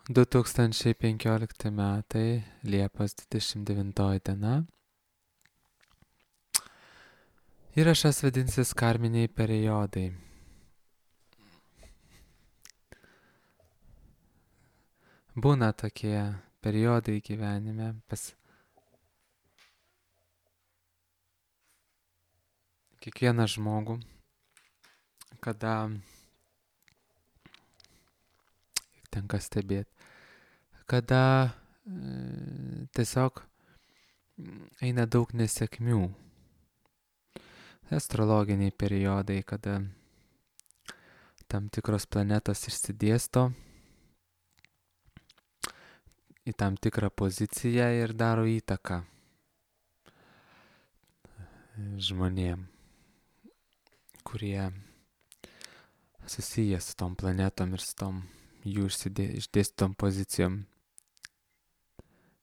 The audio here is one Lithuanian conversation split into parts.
2015 metai, Liepos 29 diena. Įrašas vadinsis karminiai periodai. Būna tokie periodai gyvenime pas kiekvieną žmogų, kada tenka stebėti, kada tiesiog eina daug nesėkmių. Astrologiniai periodai, kada tam tikros planetos išsidėsto į tam tikrą poziciją ir daro įtaką žmonėm, kurie susiję su tom planetom ir su tom jų išdėstytom pozicijom.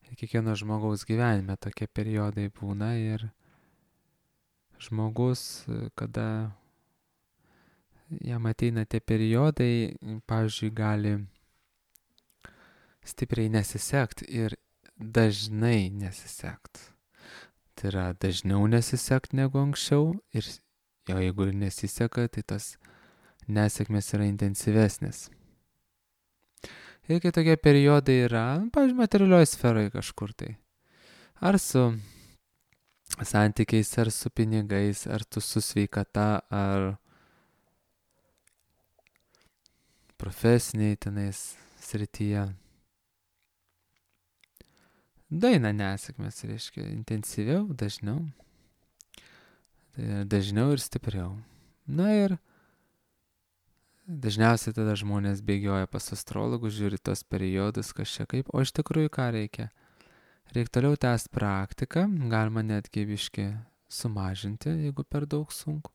Ir kiekvieno žmogaus gyvenime tokie periodai būna ir žmogus, kada jam ateina tie periodai, pavyzdžiui, gali stipriai nesisekt ir dažnai nesisekt. Tai yra dažniau nesisekt negu anksčiau ir jau jeigu ir nesiseka, tai tas nesėkmės yra intensyvesnės. Ir kai tokie periodai yra, pavyzdžiui, materialioje sferoje kažkur tai. Ar su santykiais, ar su pinigais, ar tu su sveikata, ar profesiniai tenais srityje. Daina nesėkmės, reiškia, intensyviau, dažniau. Tai dažniau ir stipriau. Na ir dažniausiai tada žmonės bėgioja pas astrologus, žiūri tos periodus, kas čia kaip, o iš tikrųjų ką reikia? Reikia toliau tęsti praktiką, galima netgi biškį sumažinti, jeigu per daug sunku.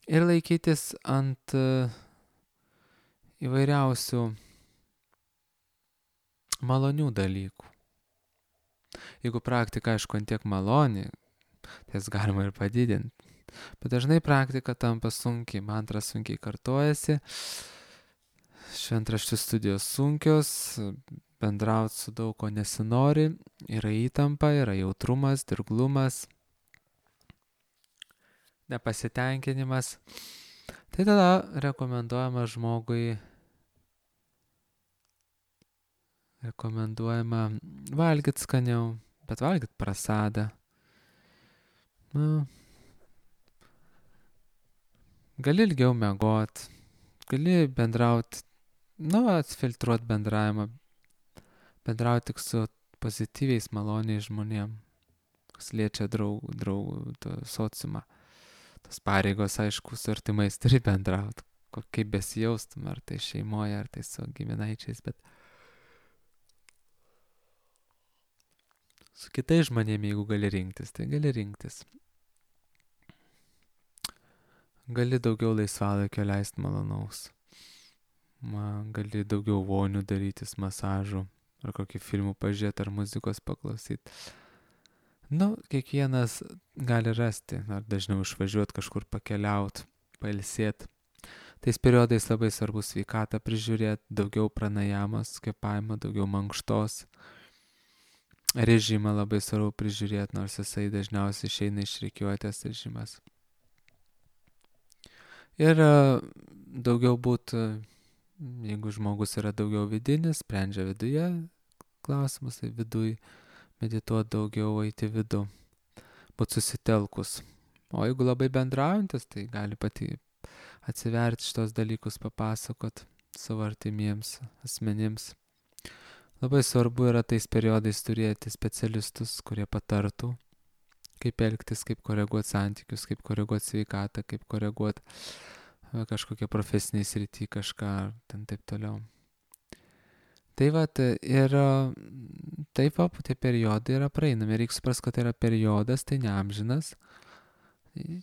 Ir laikytis ant įvairiausių malonių dalykų. Jeigu praktika, aišku, ant tiek maloni, tai jas galima ir padidinti. Bet dažnai praktika tampa sunkiai, mantra sunkiai kartojasi, šventraščių studijos sunkios, bendrauti su daug ko nesinori, yra įtampa, yra jautrumas, dirglumas, nepasitenkinimas. Tai tada rekomenduojama žmogui valgyti skaniau, bet valgyti prasadą. Gali ilgiau miegot, gali bendrauti, atfiltruoti bendravimą, bendrauti tik su pozityviais, maloniais žmonėm, kas liečia draugų sociumą. Tos pareigos, aišku, su artimais turi bendrauti, kaip besijaustum, ar tai šeimoje, ar tai su giminaičiais, bet su kitais žmonėmis, jeigu gali rinktis, tai gali rinktis. Gali daugiau laisvalaikio leisti malonaus. Gali daugiau vonių darytis, masažų, ar kokį filmų pažiūrėti, ar muzikos paklausyti. Kiekvienas gali rasti, ar dažniau išvažiuoti kažkur pakeliauti, pailsėti. Tais periodais labai svarbu sveikatą prižiūrėti, daugiau pranajamos, kvėpavimo, daugiau mankštos. Režimą labai svarbu prižiūrėti, nors jisai dažniausiai išeina iš rikiuotės režimas. Ir daugiau būtų, jeigu žmogus yra daugiau vidinis, sprendžia viduje klausimus, tai viduj medituoti daugiau, eiti vidų, būti susitelkus. O jeigu labai bendraujantis, tai gali pati atsiverti šitos dalykus, papasakot savo artimiems asmenims. Labai svarbu yra tais periodais turėti specialistus, kurie patartų, kaip elgtis, kaip koreguoti santykius, kaip koreguoti sveikatą, kaip koreguoti kažkokią profesinį sritį, kažką ten taip toliau. Tai ir taip tie periodai yra praeinami. Reikia suprasti, kad tai yra periodas, tai ne amžinas.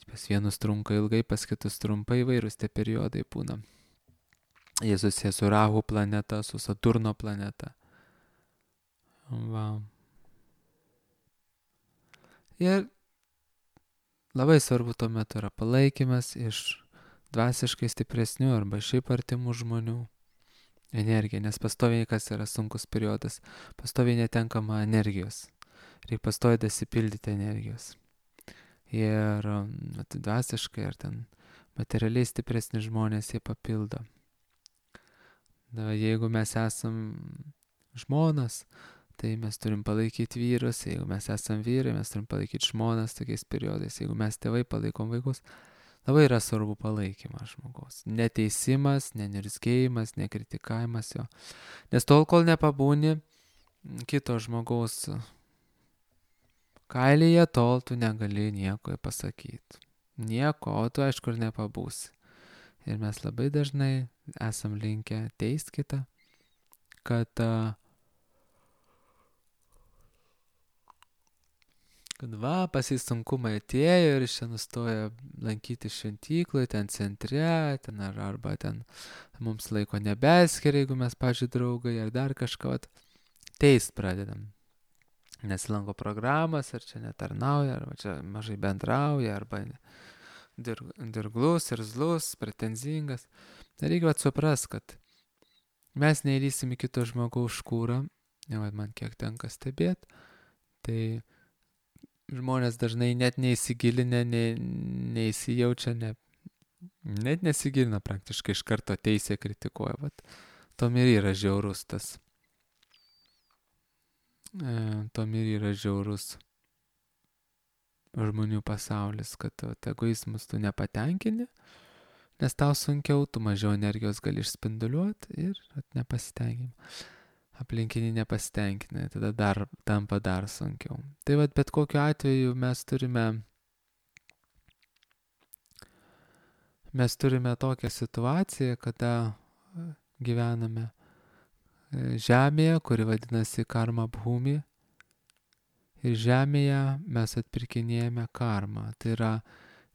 Pas vienus trunka ilgai, pas kitus trumpai, įvairūs tie periodai būna. Jie susiję su Rahu planeta, su Saturno planeta. Ir labai svarbu tuo metu yra palaikymas iš dvasiškai stipresnių arba šiaip artimų žmonių. energiją, nes pastoviai kas yra sunkus periodas, pastoviai netenkama energijos, reikia pastoviai dasipildyti energijos. Ir dvasiškai ar ten materialiai stipresni žmonės jie papildo. Jeigu mes esam žmonas, tai mes turim palaikyti vyrus, jeigu mes esam vyrai, mes turim palaikyti žmonas tokiais periodais, jeigu mes tėvai palaikom vaikus, labai yra svarbu palaikymas žmogaus. Neteisimas, nenirzgėjimas, nekritikavimas jo. Nes tol, kol nepabūni kito žmogaus kailyje, tol tu negali nieko pasakyti. Nieko, o tu aišku ir nepabūsi. Ir mes labai dažnai esam linkę teist kitą, kad va, pas jį sunkumai atėjo ir jis čia nustoja lankyti šventykloj, ten centre, ten arba ten mums laiko nebeskiria, jeigu mes, pavyzdžiui, draugai ar dar kažką, teist pradedam. Nesilanko programas, ar čia netarnauja, arba čia mažai bendrauja, arba dirglus, irzlus, pretenzingas. Reikia suprast, kad mes neįlysim į kito žmogaus škūrą, man kiek tenka stebėti, tai žmonės dažnai net neįsigilinę, neįsijaučia, net nesigilina praktiškai, iš karto teisė kritikuoja. Tom ir yra žiaurus tas. Tom ir yra žiaurus žmonių pasaulis, kad egoizmus tu nepatenkini, nes tau sunkiau, tu mažiau energijos gali išspinduliuoti ir nepasitenkini. Aplinkiniai nepasitenkina, tada tampa dar sunkiau. Tai bet kokiu atveju mes turime tokią situaciją, kada gyvename žemėje, kuri vadinasi karma bhumi. Ir žemėje mes atpirkinėjame karmą. Tai yra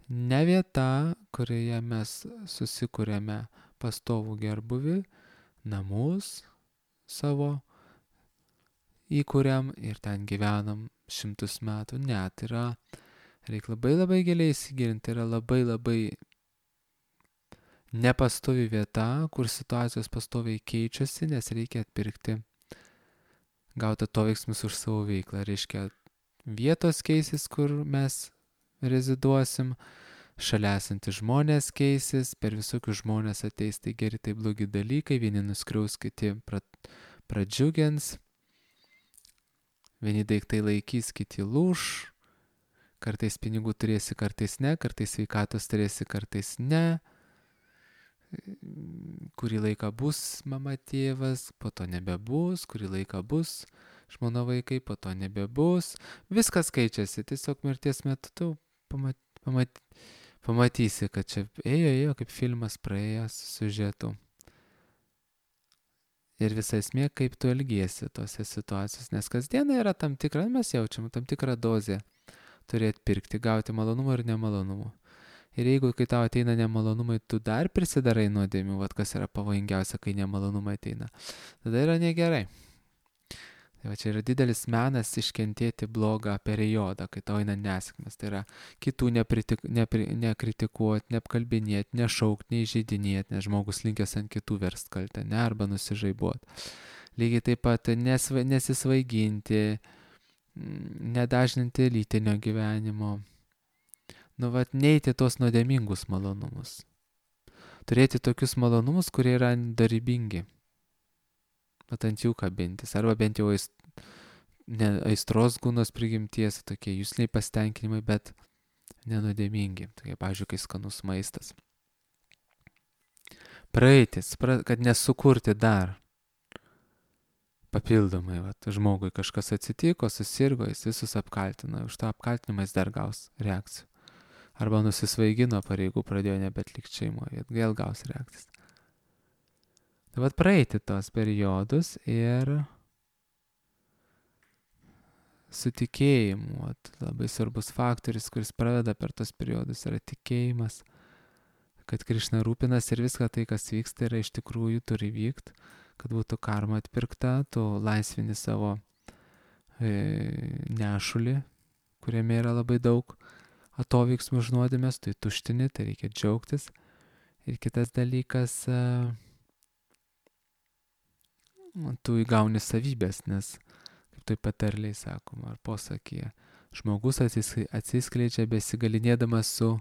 ne vieta, kurioje mes susikūrėme pastovų gerbuvį, namus savo įkūriam ir ten gyvenam 100 metų. Ne, tai yra, reikia labai giliai įsigilinti, tai yra labai nepastovi vieta, kur situacijos pastoviai keičiasi, nes reikia atpirkti gauti atoveiksmus už savo veiklą. Reiškia, vietos keisis, kur mes reziduosim, šalia esantys žmonės keisis, per visokius žmonės ateis tai geri, tai blogi dalykai, vieni nuskriaus, kiti pradžiugins, vieni daiktai laikys, kiti lūš, kartais pinigų turėsi, kartais ne, kartais sveikatos turėsi, kartais ne, kurį laiką bus mama tėvas, po to nebebus, kurį laiką bus žmona vaikai, po to nebebus, viskas keičiasi, tiesiog mirties metu tu pamatysi, kad čia ėjo kaip filmas praėjęs siužetu. Ir visa esmė, kaip tu elgiesi tose situacijose, nes kasdieną yra tam tikra, mes jaučiam tam tikrą dozę turėti pirkti, gauti malonumą ir nemalonumą. Ir jeigu, kai tau ateina nemalonumai, tu dar prisidarai nuodėmių, kas yra pavojingiausia, kai nemalonumai ateina, tada yra negerai. Tai čia yra didelis menas iškentėti blogą periodą, kai tau eina nesėkmės. Tai yra kitų nekritikuoti, neapkalbinėti, nešaukti, neįžeidinėti, nes žmogus linkęs ant kitų verst kaltę, arba nusižaibuoti. Lygiai taip pat nesisvaiginti, nedažninti lytinio gyvenimo. Neiti tuos nuodėmingus malonumus. Turėti tokius malonumus, kurie yra dorybingi. Ant jų kabintis, arba bent jau aistros gūnos prigimties, tokie jusliniai pasitenkinimai, bet nenuodėmingi, tokie, pavyzdžiui, kai skanus maistas. Praeitis, kad nesukurti dar papildomai, žmogui kažkas atsitiko, susirgo, jis visus apkaltino, už tą apkaltinimą jis dar gaus reakcijų. Arba nusisvaigino pareigų, pradėjo nebetlikti šeimoje, vėl gaus reakcijas. Tai praeiti tos periodus ir su tikėjimu. Labai svarbus faktorius, kuris pradeda per tos periodus, yra tikėjimas, kad Krišna rūpinas ir viską tai, kas vyksta, yra iš tikrųjų turi vykti, kad būtų karma atpirkta, tu laisvini savo nešulį, kuriame yra labai daug atoveiksmų už nuodėmes, tu tuštini, tai reikia džiaugtis. Ir kitas dalykas, tu įgauni savybės, nes, kaip tai patarliai sakoma, ar posakyje, žmogus atsiskleidžia besigalinėdamas su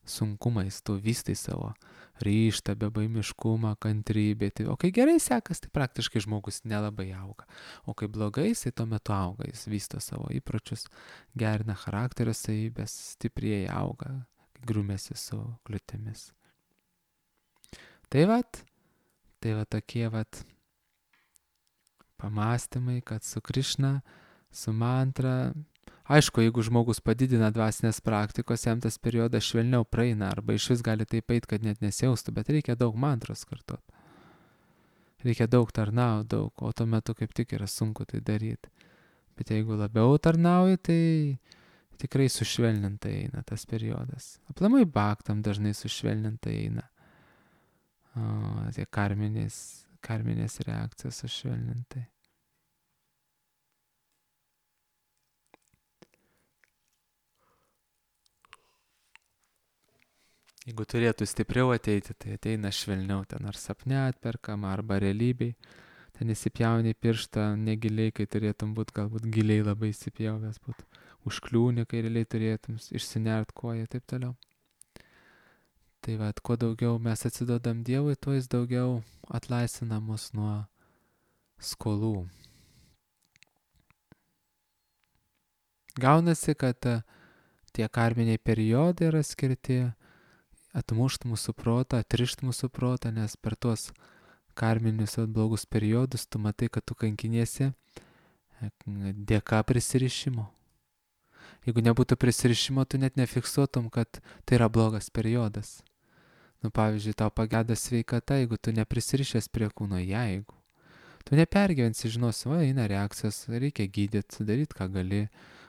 sunkumais, tu vystai savo ryžtą, bebaimiškumą, kantrybę. Tai, o kai gerai sekas, tai praktiškai žmogus nelabai auga. O kai blogai, jisai tuo metu auga, jis vysto savo įpročius, gerina charakterio savybės, stipriai auga, grūmėsi su kliūtimis. Tai vat tokie pamastymai, kad su Krišna, su mantra. Aišku, jeigu žmogus padidina dvasinės praktikos, jam tas periodas švelniau praeina, arba iš vis gali taip eit, kad net nesijaustų, bet reikia daug mantros kartot. Reikia daug tarnauti, o tuo metu kaip tik yra sunku tai daryti. Bet jeigu labiau tarnauji, tai tikrai sušvelnintai eina tas periodas. Aplamai bhaktam dažnai sušvelnintai eina. Tie karminės reakcijos sušvelnintai. Jeigu turėtų stipriau ateiti, tai ateina švelniau, ten ar sapne atperkama, arba realybėj. Ten įsipjauni pirštą negiliai, kai turėtum būti galbūt giliai labai įsipjavęs būti. Užkliūni, kai realiai turėtum išsinert koją ir taip toliau. Tai kuo daugiau mes atsidodam Dievui, tuo jis daugiau atlaisvina mus nuo skolų. Gaunasi, kad tie karminiai periodai yra skirti atmušt mūsų protą, atrišt mūsų protą, nes per tuos karminius blogus periodus tu matai, kad tu kankiniesi dėka prisirišimo. Jeigu nebūtų prisirišimo, tu net nefiksuotum, kad tai yra blogas periodas. Pavyzdžiui, tau pageda sveikata, jeigu tu neprisirišęs prie kūno, jeigu. Tu nepergyvensi, žinosi, eina reakcijos, reikia gydyti, daryti, ką gali,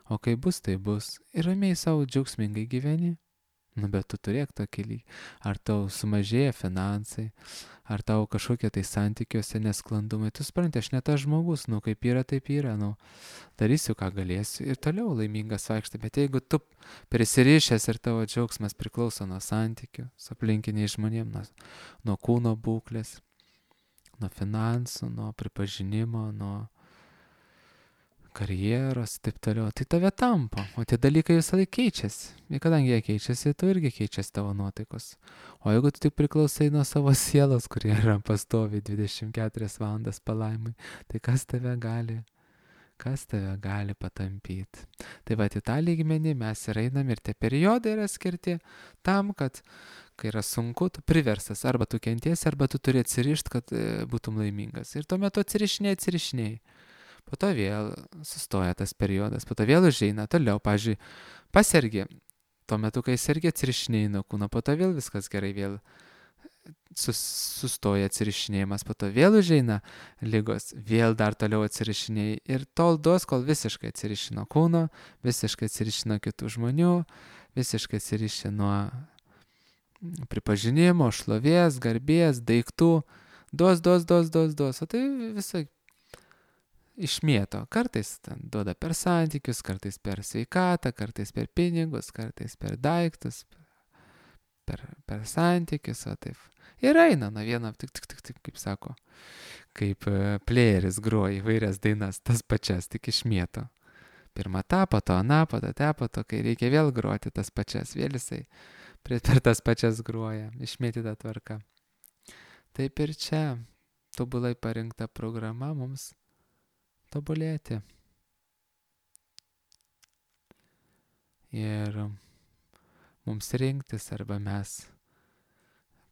o kai bus, tai bus. Ir ramiai savo džiaugsmingai gyveni. Bet tu turėk tokį lygį. Ar tau sumažėja finansai, ar tau kažkokie tai santykiuose nesklandumai. Tu supranti, aš ne tas žmogus, kaip yra, taip yra. Darysiu, ką galėsiu ir toliau laimingas vaikštai. Bet jeigu tu prisirišęs ir tavo džiaugsmas priklauso nuo santykių su aplinkiniais žmonėmis, nuo kūno būklės, nuo finansų, nuo pripažinimo, nuo karjeros, taip toliau, tai tave tampo, o tie dalykai visą laiką keičiasi. Ir kadangi jie keičiasi, tu irgi keičiasi tavo nuotaikos. O jeigu tu tik priklausai nuo savo sielos, kurie yra pastoviai 24 valandas palaimai, tai kas tave gali patampyti. Tai į tą lygmenį mes ir einam ir tie periodai yra skirti tam, kad kai yra sunku, tu priverstas, arba tu kentiesi, arba tu turi atsirišti, kad būtum laimingas. Ir tuo metu atsirišinėjai. Po to vėl sustoja tas periodas, po to vėl užeina toliau, pavyzdžiui, pasergi, tuo metu, kai sergi, atsirišinėjai nuo kūno, po to vėl viskas gerai, vėl sustoja atsirišinėjimas, po to vėl užeina ligos, vėl dar toliau atsirišinėjai ir tol duos, kol visiškai atsiriši nuo kūno, visiškai atsiriši nuo kitų žmonių, visiškai atsiriši nuo pripažinimo, šlovės, garbės, daiktų, duos, o tai visai išmėto. Kartais duoda per santykius, kartais per sveikatą, kartais per pinigus, kartais per daiktus, per santykius, o taip. Ir eina nuo vieno, tik, kaip sako, kaip playeris groja įvairias dainas, tas pačias, tik išmėto. Pirmą tą, po to aną, po to, kai reikia vėl groti tas pačias, vėl jisai per tas pačias groja, išmėtyta tvarka. Taip ir čia tobulai parinkta programa mums tobulėti. Ir mums rinktis, arba mes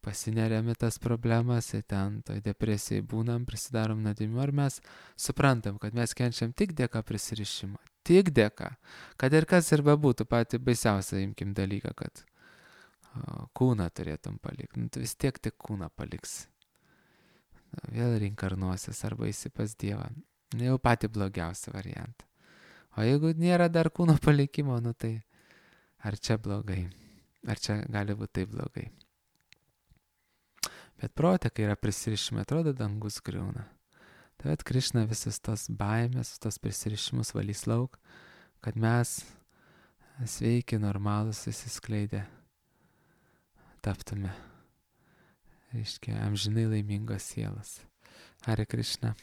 pasineriam į tas problemas, ir ten toj depresijai būnam, prisidarom nuodėmių, ar mes suprantam, kad mes kenčiam tik dėka prisirišimo. Tik dėka. Kad ir kas ir bebūtų, patį baisiausią imkim dalyką, kad kūną turėtum palikti. Tu vis tiek tik kūną paliksi. Vėl reinkarnuosis arba eisi pas Dievą. Jau patį blogiausią variantą. O jeigu nėra dar kūno palikimo, tai ar čia blogai? Ar čia gali būti taip blogai? Bet prote, kai yra prisirišimai, atrodo, dangus griūna. Tai Krišna visas tos baimės, tos prisirišimus valys lauk, kad mes sveiki, normalus, įsiskleidę taptume, reiškia, amžinai laimingos sielos. Hare Krišna.